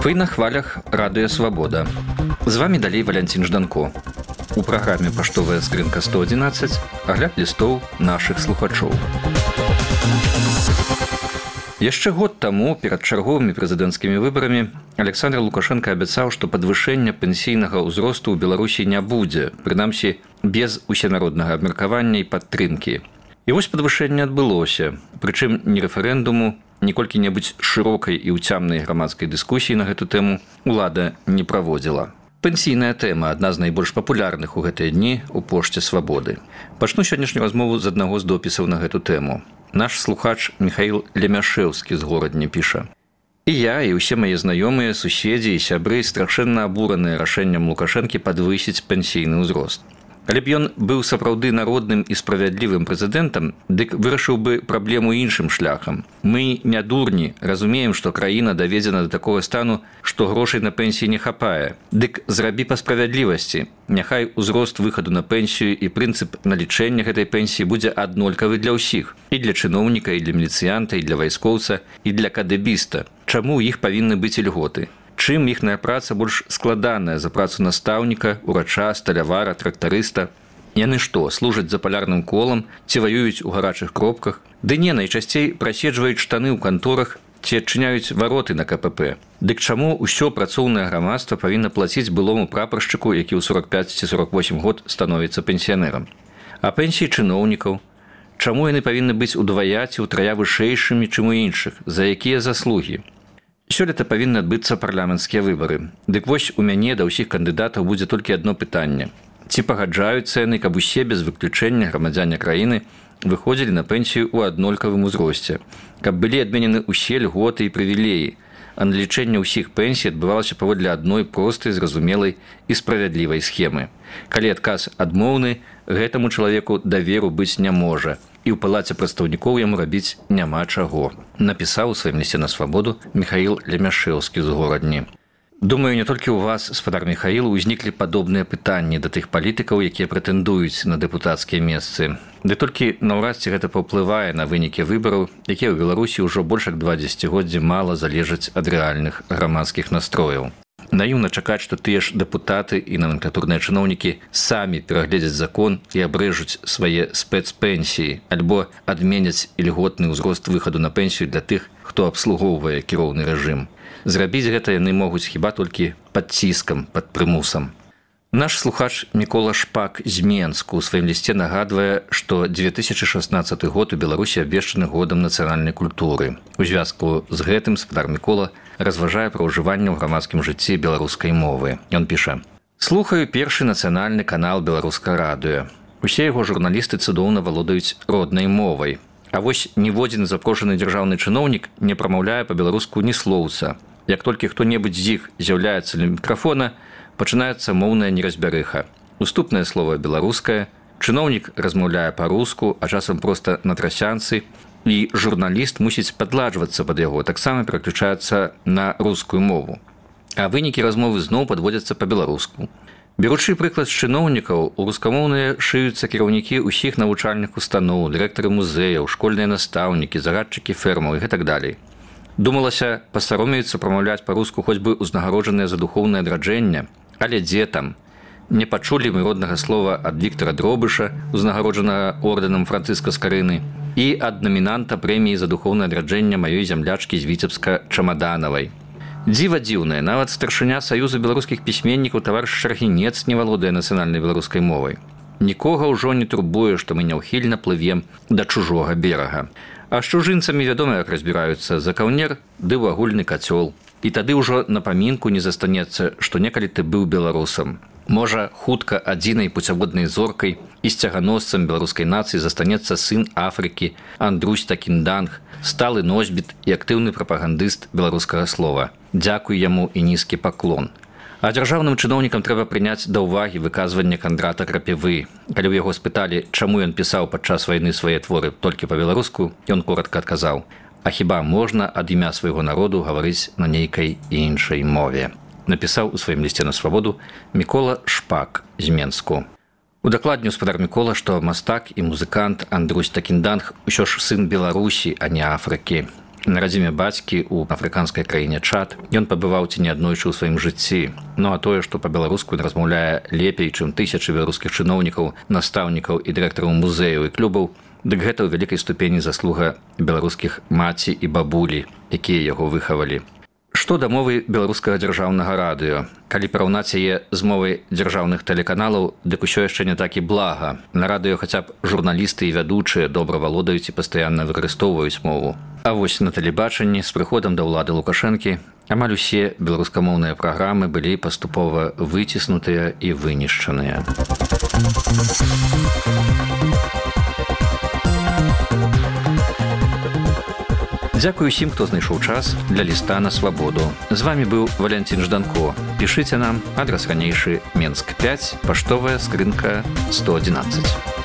Вы на хвалях Радыё Свабода. З вами далей Валянцін Жданко. У праграме «Паштовая скрынка 111» агляд лістоў нашых слухачоў. Яшчэ год таму перад чарговымі прэзідэнцкімі выбарамі Александр Лукашенко абяцаў, што падвышэння пенсійнага ўзросту ў Беларусі не будзе, прынамсі без усенароднага абмеркавання і падтрымкі. І вось падвышэнне адбылося, прычым ні рэферэндуму, ні колькі-небудзь шырокай і ўцямнай грамадскай дыскусіі на гэту тэму ўлада не праводзіла. Пенсійная тэма – адна з найбольш папулярных у гэтыя дні ў пошце Свабоды. Пачну сённяшнюю размову з аднаго з допісаў на гэту тэму. Наш слухач Михаил Лемяшэўскі з Горадні піша. І я, і ўсе мае знаёмыя, суседзі і сябры страшэнна абураныя рашэннем Лукашэнкі падвысіць пенсійны ўзрост. Калі б ён быў сапраўды народным і справядлівым прэзідэнтам, дык вырашыў бы праблему іншым шляхам. Мы не дурні, разумеем, што краіна даведзена да такога стану, што грошай на пенсіі не хапае. Дык зрабі па справядлівасці. Няхай узрост выхаду на пенсію і прынцып налічэння гэтай пенсіі будзе аднолькавы для ўсіх. І для чыноўніка, і для міліцыянта, і для вайскоўца, і для кадэбіста. Чаму ў іх павінны быць ільготы? Чым іхная праца больш складаная за працу настаўніка, урача, сталявара, трактарыста? Яны што, служаць за палярным колам, ці ваююць у гарачых кропках? Ды не, найчасцей праседжваюць штаны ў канторах, ці адчыняюць вароты на КПП. Дык чаму ўсё працоўнае грамадства павінна плаціць былому прапаршчыку, які ў 45 ці 48 год становіцца пенсіянерам? А пенсіі чыноўнікаў? Чаму яны павінны быць удвая ці ўтрая вышэйшымі, чым у іншых? За якія заслугі? Сёлета павінны адбыцца парламенцкія выбары. Дык вось у мяне да ўсіх кандыдатаў будзе толькі адно пытанне. Ці пагаджаюцца яны, каб усе без выключэння грамадзяне краіны выходзілі на пенсію ў аднолькавым узросце, каб былі адменены ўсе льготы і прывілеі, а налічэнне ўсіх пенсій адбывалася паводле адной простай, зразумелай і справядлівай схемы. Калі адказ адмоўны, гэтаму чалавеку даверу быць не можа, і ў палаце прадстаўнікоў яму рабіць няма чаго, напісаў у сваім лісце на Свабоду Михаил Лемяшэўскі з Горадні. Думаю, не толькі ў вас, спадар Михаил, узніклі падобныя пытанні да тых палітыкаў, якія прэтэндуюць на дэпутацкія месцы. Ды толькі наўрад ці гэта паўплывае на вынікі выбараў, якія ў Беларусі ўжо больш як 2 дзесяцігоддзі мала залежаць ад рэальных грамадскіх настрояў. Наіўна чакаць, што тыя ж дэпутаты і номенклатурныя чыноўнікі самі перагледзяць закон і абрэжуць свае спецпенсіі, альбо адменяць ільготны ўзрост выхаду на пенсію для тых, хто абслугоўвае кіроўны рэжым. Зрабіць гэта яны могуць хіба толькі пад ціскам, пад прымусам. Наш слухач Мікола Шпак з Менску ў сваім лісце нагадвае, што 2016 год у Беларусі абвешчаны годам нацыянальнай культуры. У звязку з гэтым спадар Мікола разважае пра ўжыванне ў грамадскім жыцці беларускай мовы. Ён піша: «Слухаю першы нацыянальны канал «Беларускае радыё». Усе яго журналісты цудоўна валодаюць роднай мовай. А вось ніводзін запрошаны дзяржаўны чыноўнік не прамаўляе па-беларуску ні слоўца. Як толькі хто-небудзь з іх з'яўляецца ля мікрафона, пачынаецца моўная неразбярыха. Уступнае слово беларускае, чыноўнік размаўляе па-руску, а часам проста на трасянцы, і журналіст мусіць падладжвацца пад яго, таксама пераключаецца на рускую мову. А вынікі размовы зноў падводзяцца па-беларуску. Беручы прыклад з чыноўнікаў, у рускамоўныя шыюцца кіраўнікі ўсіх навучальных устаноў, дырэктары музеяў, школьныя настаўнікі, загадчыкі фермаў і гэтак далей. Думалася, пасаромеюцца прамаўляць па-руску хоць бы ўзнагароджаныя за духоўнае адраджэнне, але дзе там? Не пачулі мы роднага слова ад Віктара Дробыша, узнагароджанага ордэнам Францыска Скарыны, і ад намінанта прэміі за духоўнае адраджэнне маёй зямлячкі з Віцебска Чамаданавай. Дзіва дзіўнае, нават старшыня Саюза беларускіх пісьменнікаў таварыш Шаргінец не валодае нацыянальнай беларускай мовай. Нікога ўжо не турбуе, што мы няўхільна плывем да чужога берага. А з чужынцамі вядома, як разбіраюцца, за каўнер ды ў агульны кацёл. І тады ўжо на памінку не застанецца, што некалі ты быў беларусам. Можа, хутка адзінай пуцяводнай зоркай і сцяганосцам беларускай нацыі застанецца сын Афрыкі Андрусь Такінданг, сталы носьбіт і актыўны прапагандыст беларускага слова. Дзякуй яму і нізкі паклон. А дзяржаўным чыноўнікам трэба прыняць да ўвагі выказванне Кандрата Крапівы. Калі ў яго спыталі, чаму ён пісаў падчас вайны свае творы толькі па-беларуску, ён коратка адказаў: «А хіба можна ад імя свайго народу гаварыць на нейкай іншай мове?» Напісаў у сваім лісце на Свабоду Мікола Шпак з Менску. Удакладніў спадар Мікола, што мастак і музыкант Андрусь Такінданг усё ж сын Беларусі, а не Афрыкі. На радзіме бацькі ў афрыканскай краіне Чад ён пабываў ці не аднойчы ў сваім жыцці. Ну а тое, што па-беларуску ён размаўляе лепей, чым тысячы беларускіх чыноўнікаў, настаўнікаў і дырэктараў музеяў і клубаў, дык гэта ў вялікай ступені заслуга беларускіх маці і бабулі, якія яго выхавалі. Што да мовы беларускага дзяржаўнага радыё? Калі параўнаць яе з мовай дзяржаўных тэлеканалаў, дык усё яшчэ не так і блага. На радыё хаця б журналісты і вядучыя добра валодаюць і пастаянна выкарыстоўваюць мову. А вось на тэлебачанні з прыходам да ўлады Лукашэнкі амаль усе беларускамоўныя праграмы былі паступова выціснутыя і вынішчаныя. Дзякую усім, хто знайшоў час для ліста на свабоду. З вами быў Валянцін Жданко. Пішыце нам, адрас ранейшы Менск 5, паштовая скрынка 111.